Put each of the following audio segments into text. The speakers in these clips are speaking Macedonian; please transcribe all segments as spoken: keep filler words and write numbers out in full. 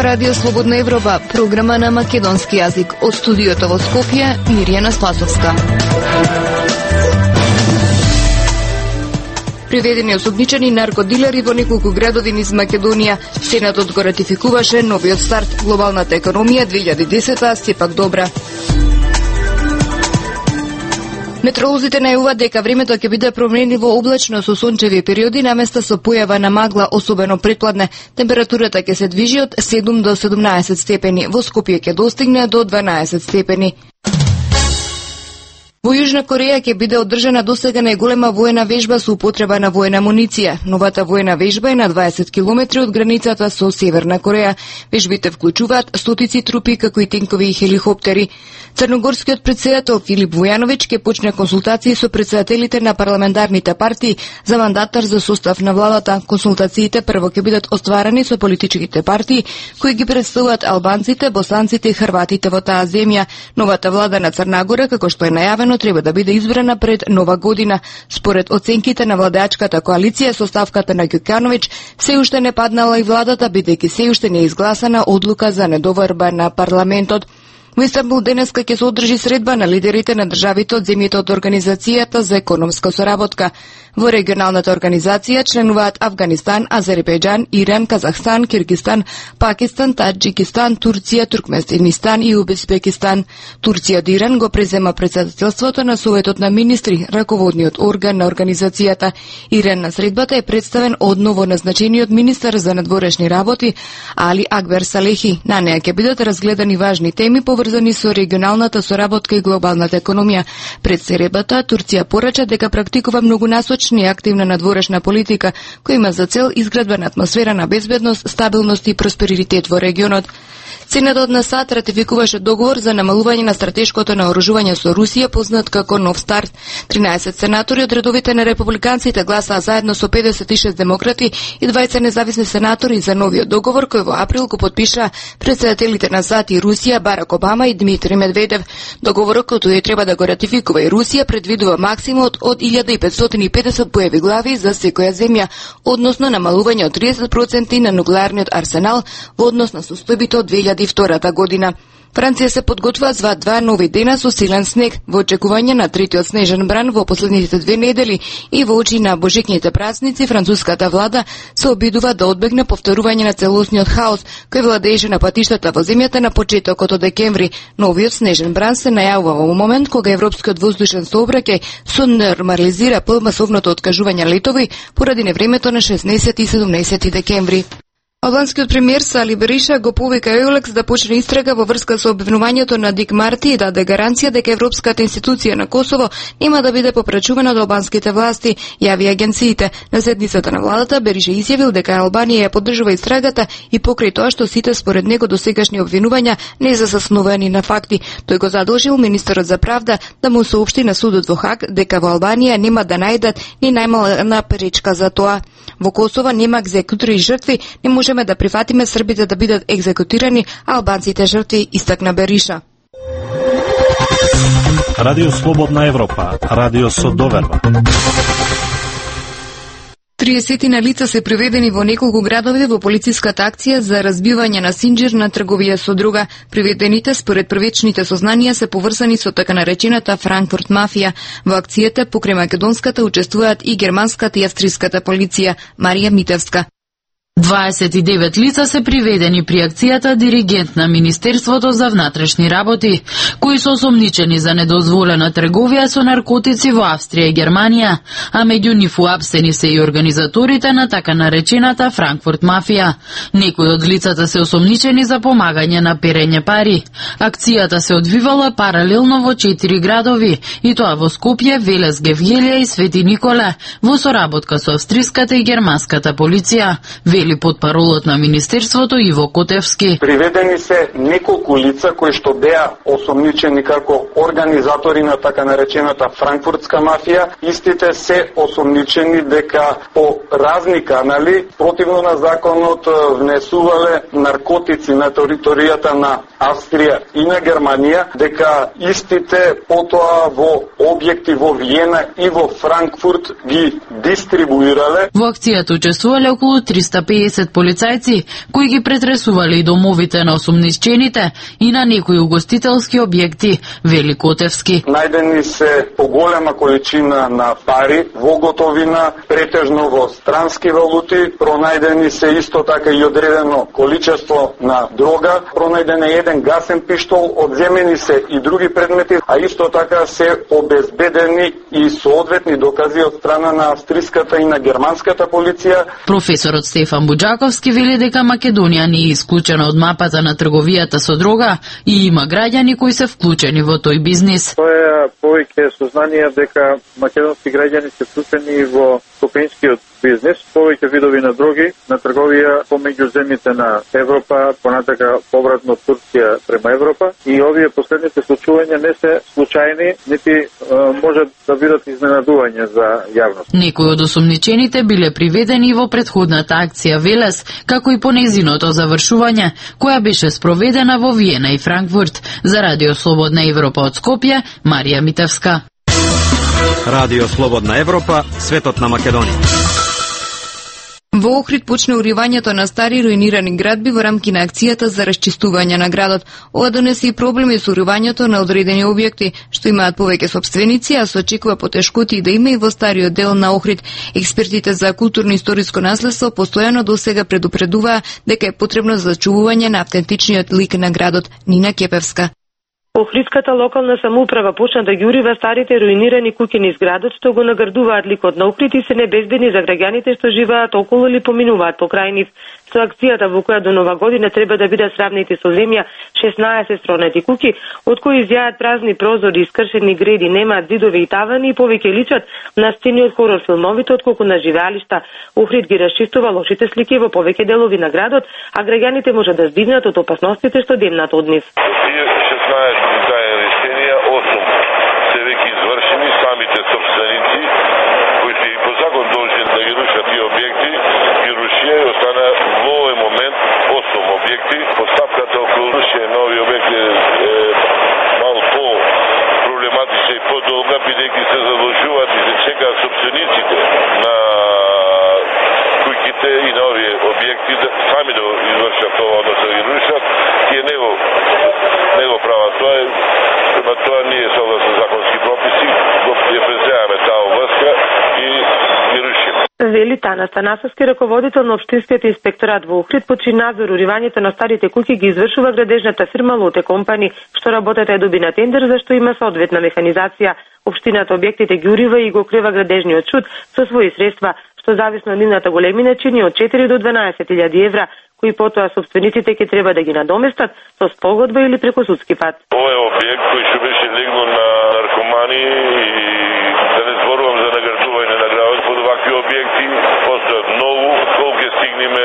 Радио Слободна Европа, програма на македонски јазик. Од студиото во Скопје, Мирјана Спасовска. Приведени осомничени наркодилери во неколку градови низ Македонија. Сенатот го ратификуваше новиот старт. Глобалната економија две илјади и десета сепак добра. Метеоролозите најавуваат дека времето ќе биде променливо облачно со сончеви периоди наместо со појава на магла, особено предпладне. Температурата ќе се движи од седум до седумнаесет степени, во Скопје ќе достигне до дванаесет степени. Во Јужна Кореја ќе биде одржана досега најголема воена вежба со употреба на воена амуниција. Новата воена вежба е на дваесет километри од границата со Северна Кореја. Вежбите вклучуваат стотици трупи, како и тенкови и хеликоптери. Црногорскиот претседател Филип Војановиќ ќе почне консултации со претседателите на парламентарните партии за мандатар за состав на владата. Консултациите прво ќе бидат остварани со политичките партии кои ги представуваат албанците, босанците и хрватите во таа земја. Новата влада на Црна Гора, како што е најавено, треба да биде избрана пред Нова година. Според оценките на владеачката коалиција со ставката на Ѓукановиќ, се уште не паднала и владата, бидејќи се уште не е изгласана одлука за недоварба на парламентот. Во Истанбул денеска ќе се одржи средба на лидерите на државите од земјите од Организацијата за економска соработка. Во регионалната организација членуваат Авганистан, Азербејџан, Иран, Казахстан, Киргизстан, Пакистан, Таџикистан, Турција, Туркменистан и Узбекистан. Турција од Иран го презема претседателството на Советот на министри, раководниот орган на организацијата. Иран на средбата е представен одново назначениот министар за надворешни работи Али Акбер Салехи. На неа ќе бидат разгледани важни теми поврзани со регионалната соработка и глобалната економија. Пред средбата Турција порача дека практикува многунасочна и активна надворешна политика која има за цел изградба на атмосфера на безбедност, стабилност и просперитет во регионот. Сенатот на САД ратификуваше договор за намалување на стратешкото наоружување со Русија, познат како Нов старт. тринаесет сенатори од редовите на републиканците гласаа заедно со педесет и шест демократи и двајца независни сенатори за новиот договор кој во април го потпиша претседателите на САД и Русија Барак Обама и Дмитри Медведев. Договорот кој тој треба да го ратификува и Русија предвидува максимумот од илјада петстотини и педесет боеви глави за секоја земја, односно намалување од тридесет проценти на нуклеарниот арсенал во однос на состојбите од две илјади и втора година. Франција се подготвува за два нови дена со силен снег во очекување на третиот снежен бран во последните две недели и во очи на божикните празници француската влада се обидува да одбегне повторување на целосниот хаос кој владееше на патиштата во земјата на почетокот од декември. Новиот снежен бран се најавува во момент кога европскиот воздушен сообраќај се нормализира по масовното откажување летови поради невремето на шеснаесети и седумнаесети декември. Албанскиот премиер Сали Бериша го повика Еулекс да почне истрага во врска со обвинувањето на Дик Марти и даде гаранција дека Европската институција на Косово нема да биде попречувана од албанските власти, јави агенциите. На седницата на владата Бериша изјавил дека Албанија ја поддржува истрагата и покрај тоа што сите според него досегашни обвинувања не се засновани на факти. Тој го задолжил министерот за правда да му соопшти на судот во Хаг дека во Албанија нема да најдат ни најмална пречка за тоа. Во Косово нема екзекутори и жртви, не можеме да прифатиме србите да бидат екзекутирани, а албанците жртви, истакна Бериша. Радио Слободна Европа, радио со доверба. триесетина лица се приведени во неколку градови во полициската акција за разбивање на синџир на трговија со друга. Приведените според првечните сознанија се поврзани со така наречената Франкфурт мафија. Во акцијата покрај македонската учествуваат и германската и австриската полиција. Марија Митевска. дваесет и девет лица се приведени при акцијата диригент на Министерството за внатрешни работи, кои се осомничени за недозволена трговија со наркотици во Австрија и Германија, а меѓу нив уапсени се и организаторите на така наречената Франкфурт мафија. Некои од лицата се осомничени за помагање на перење пари. Акцијата се одвивала паралелно во четири градови, и тоа во Скопје, Велес, Гевгелија и Свети Николе, во соработка со австриската и германската полиција, вели потпаролот на Министерството Иво Котевски. Приведени се неколку лица кои што беа осомничени како организатори на така наречената Франкфуртска мафија. Истите се осомничени дека по разни канали, противно на законот, внесувале наркотици на територијата на Австрија и на Германија, дека истите потоа во објекти во Виена и во Франкфурт ги дистрибуирале. Во акцијата учествувале околу триста пеесет полицајци, кои ги претресувале и домовите на осумничените и на некои угостителски објекти, вели Котевски. Најдени се поголема количина на пари во готовина, претежно во странски валути, пронајдени се исто така и одредено количество на дрога, пронајден е еден гасен пиштол, одземени се и други предмети, а исто така се обезбедени и соодветни докази од страна на австриската и на германската полиција. Професорот Стефан Буџаковски вели дека Македонија не е исклучена од мапата на трговијата со дрога и има граѓани кои се вклучени во тој бизнис. Тоа е повеќе сознание дека македонски граѓани се вклучени во кокаинскиот бизнис, повеќе видови на дроги, на трговија помеѓу земјите на Европа, понатака повратно Турција према Европа, и овие последните случувања не се случајни, нити е, можат да бидат изненадување за јавност. Некои од осумничените биле приведени во претходната акција Велес, како и по нејзиното завршување, која беше спроведена во Виена и Франкфурт. За Радио Слободна Европа од Скопје, Марија Митевска. Радио Слободна Европа, светот на Македонија. Во Охрид почна уривањето на стари руинирани градби во рамки на акцијата за расчистување на градот. Ова донесе и проблеми со уривањето на одредени објекти, што имаат повеќе сопственици, а се очекува потешкоти да има и во стариот дел на Охрид. Експертите за културно-историско наследство постојано досега предупредуваа дека е потребно зачувување на автентичниот лик на градот. Нина Кепевска. Охридската локална самоуправа почна да ги урива старите руинирани куќи низ градот, што го наградуваат ликот на Охрид и се небезбедни за граѓаните што живеат околу или поминуваат покрај нив. Со акцијата во која до нова година треба да бидат сравнети со земја шеснаесет стронати куќи, од кои изјаат празни прозори, искршени греди, немаат зидови и тавани и повеќе личат на сцени од хорор филмовите отколку на живеалишта. Охрид ги расчистува лошите слики во повеќе делови на градот, а граѓаните можат да здигнат од опасностите што демнат од нив. Решенија, осум се веќе извршени, самите собственици кои се и по закон должни да ги рушат тие објекти, ги рушија и остана во овој момент осум објекти. Постапката околу рушење на овие објекти е мал по проблематична и подолга, бидејќи се задолжуваат и се чекаат собствениците на куќите и на овие објекти да сами да извршат тоа, односно да ги рушат, и не го не го прават тоа. Према тоа ние согласно законски прописи го преземаме таа врска и ги рушиме. Вели Тана Станасовски, раководител на Општинскиот инспекторат во Охрид, почи надзор уривањето на старите куќи ги извршува градежната фирма Лоте Компани, што работата е доби на тендер за што има соодветна механизација. Општината објектите ги урива и го крива градежниот шут со своји средства, што зависно од нивната големина чини од четири до дванаесет илјади евра, кои потоа собствениците ќе треба да ги надоместат со спогодба или преку судски пат. Ова е објект кој што беше легнал на наркомани и да не зборувам за наградување на градот под вакви објекти, постојат многу, колку ќе стигнеме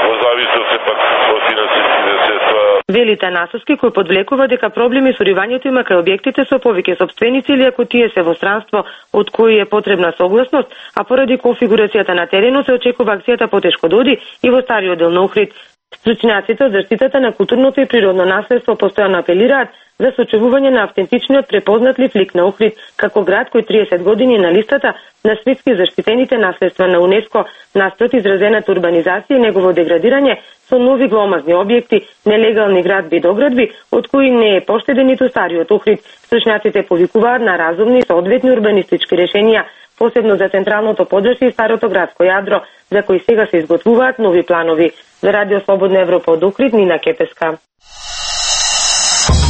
во зависност сепак од финансиските средства. Вели Танасовски, кој подвлекува дека проблеми со уривањето има кај објектите со повеќе собственици или ако тие се во странство од кои е потребна согласност, а поради конфигурацијата на теренот се очекува акцијата потешко да оди и во стариот дел на Охрид. Стручњаците од заштитата на културното и природно наследство постојано апелираат за сочувување на автентичниот препознатлив лик на Охрид, како град кој триесет години на листата на светски заштитените наследства на УНЕСКО, наспрот изразената урбанизација и негово деградирање со нови гломазни објекти, нелегални градби и доградби, од кои не е поштеден ниту стариот Охрид. Стручњаците повикуваат на разумни и соодветни урбанистички решенија, посебно за централното подршје и старото градско јадро, за кои сега се изготвуваат нови планови. За Радио Слободна Европа од Охрид, Нина Кепеска.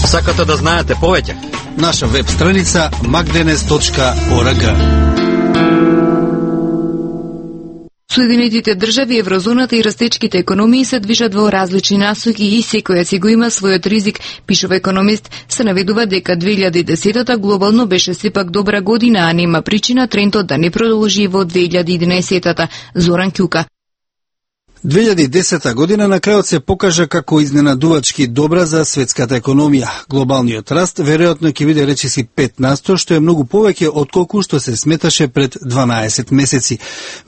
Сакате да знаете повеќе? Наша веб страница magdenes точка org. Соединетите држави, еврозоната и растечките економии се движат во различни насоки и секоја си го има својот ризик, пишува економист. Се наведува дека две илјади и десетата глобално беше сепак добра година, а нема причина трендот да не продолжи во две илјади и единаесетата. Зоран Ќука. две илјади и десета година на крајот се покажа како изненадувачки добра за светската економија. Глобалниот раст веројатно ќе биде речиси пет на сто, што е многу повеќе отколку што се сметаше пред дванаесет месеци.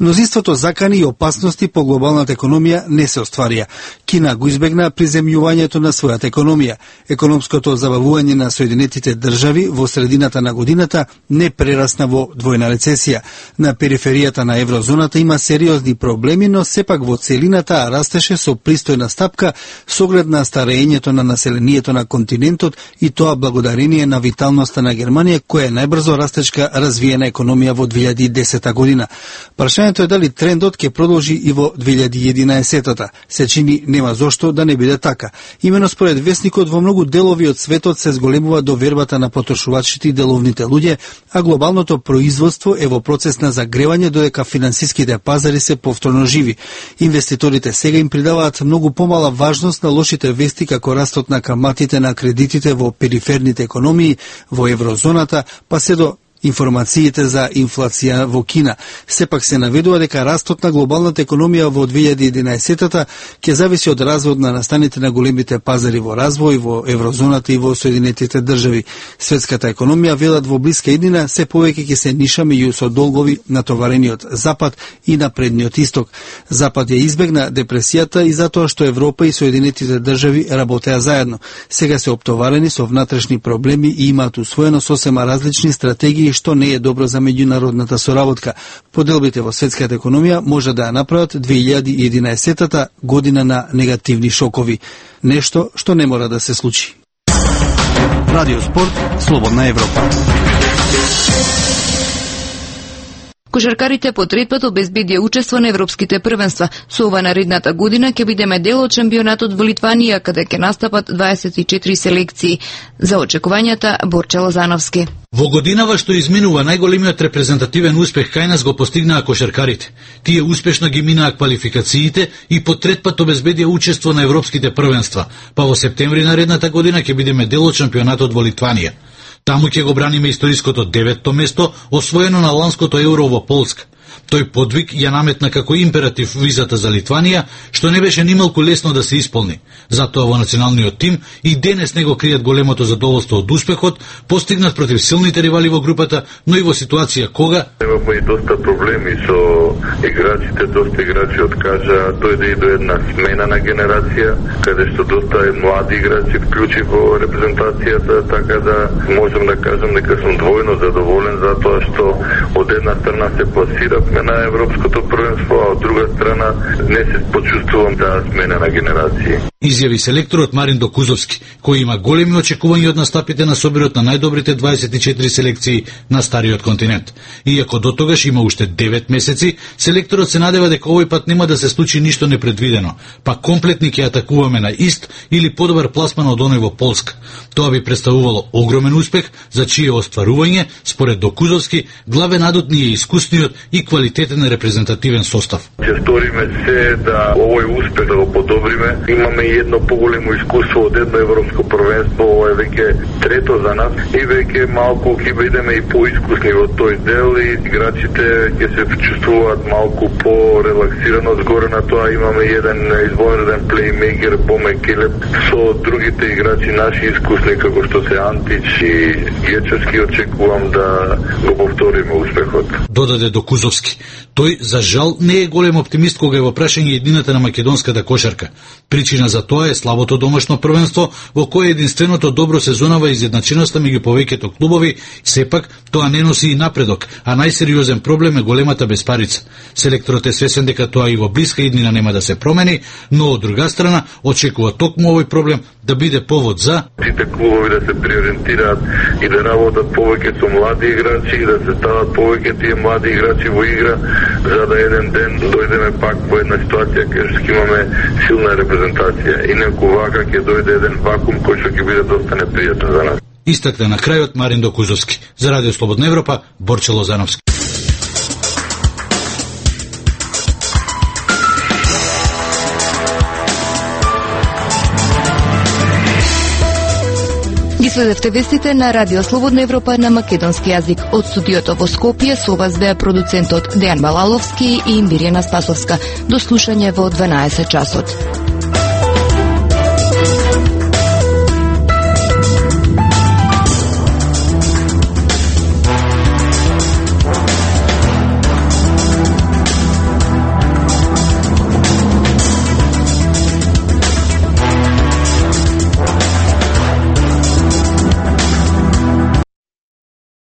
Мнозинството закани и опасности по глобалната економија не се остварија. Кина го избегна приземјувањето на својата економија. Економското забавување на Соединетите држави во средината на годината не прерасна во двојна рецесија. На периферијата на еврозоната има сериозни проблеми, но сепак во цели растеше со пристојна стапка со оглед на старењето на населението на континентот и тоа благодарение на виталноста на Германија, која е најбрзо растечка развиена економија во две илјади и десета година. Прашањето е дали трендот ќе продолжи и во две илјади и единаесета. Се чини нема зошто да не биде така. Имено според весникот во многу делови од светот се зголемува довербата на потрошувачите и деловните луѓе, а глобалното производство е во процес на загревање додека финансиските пазари се повторно живи. Инвеститорите сега им придаваат многу помала важност на лошите вести како растот на каматите на кредитите во периферните економии во еврозоната, па се до информациите за инфлација во Кина. Сепак се наведува дека растот на глобалната економија во две илјади и единаесета ќе зависи од развојот на настаните на големите пазари во развој во еврозоната и во Соединетите држави. Светската економија, велат, во блиска иднина се повеќе ќе се ниша меѓу со долгови натоварениот Запад и напредниот Исток. Запад ја избегна депресијата и затоа што Европа и Соединетите држави работеа заедно. Сега се оптоварени со внатрешни проблеми и имаат усвоено сосема различни стратегии, што не е добро за меѓународната соработка. Поделбите во светската економија може да ја направат две илјади и единаесета година на негативни шокови. Нешто што не мора да се случи. Радио Спорт, Слободна Европа. Кошаркарите по трет пат обезбедија учество на европските првенства. Со ова наредната година ќе бидеме дел од шампионатот во Литванија, каде ќе настапат дваесет и четири селекции. За очекувањата, Борче Лозановски. Во годинава што изминува, најголемиот репрезентативен успех кај нас го постигнаа кошаркарите. Тие успешно ги минаа квалификациите и по трет пат обезбедија учество на европските првенства, па во септември наредната година ќе бидеме дел од шампионатот во Литванија. Таму ќе го браниме историското деветто место, освоено на ланското Евро во Полска. Тој подвиг ја наметна како императив визата за Литванија, што не беше нималку лесно да се исполни. Затоа во националниот тим и денес него кријат големото задоволство од успехот, постигнат против силните ривали во групата, но и во ситуација кога имаме и доста проблеми со играчите, доста играчи откажа, дојде и до една смена на генерација, каде што доста млади играчи вклучи во репрезентацијата, така да можам да кажам дека сум двојно задоволен затоа што од една страна се пласиравме на европското првенство, а од друга страна не се почувствувам таа смена на генерации. Изјави селекторот Мариндо Кузовски, кој има големи очекувања од настапите на собирот на најдобрите дваесет и четири селекции на стариот континент. Иако до тогаш има уште девет месеци, селекторот се надева дека овој пат нема да се случи ништо непредвидено, па комплетни ќе атакуваме на ист или подобар пласман од оној во Полска. Тоа би представувало огромен успех, за чие остварување, според Докузовски, главен адут ни е искусниот и квалитетен репрезентативен состав. Ќе сториме се да овој успех да го подобриме. Имаме и едно поголемо искуство од едно европско првенство, ова е веќе трето за нас и веќе малку ќе бидеме и поискусни во тој дел и играчите ќе се чувствуваат малку по-релаксирано. Згоре на тоа имаме еден извонреден плеймейкер Боме Келеп со другите играчи наши искусни како што се Антич и Гечевски. Очекувам да го повториме успехот. Додаде Докузовски. Тој, за жал, не е голем оптимист кога е во прашање едината на македонската кошарка. Причина за тоа е слабото домашно првенство, во кое единственото добро сезонава изедначеноста меѓу повеќето клубови, сепак тоа не носи и напредок, а најсериозен проблем е големата безпарица. Селекторот е свесен дека тоа и во блиска иднина нема да се промени, но од друга страна очекува токму овој проблем да биде повод за сите клубови да се приориентираат и да работат повеќе со млади играчи и да се стават повеќе тие млади играчи во игра, за да еден ден дојдеме пак во една ситуација кај што имаме силна репрезентација. Инаку вака ќе дојде еден вакуум кој што ќе биде доста непријатен за нас. Истакна на крајот Мариндо Кузовски. За Радио Слободна Европа, Борче Лозановски. Ги следевте вестите на Радио Слободна Европа на македонски јазик. Од студиото во Скопје со вас беа продуцентот Дејан Балаловски и Мирјана Спасовска. До слушање во дванаесет часот.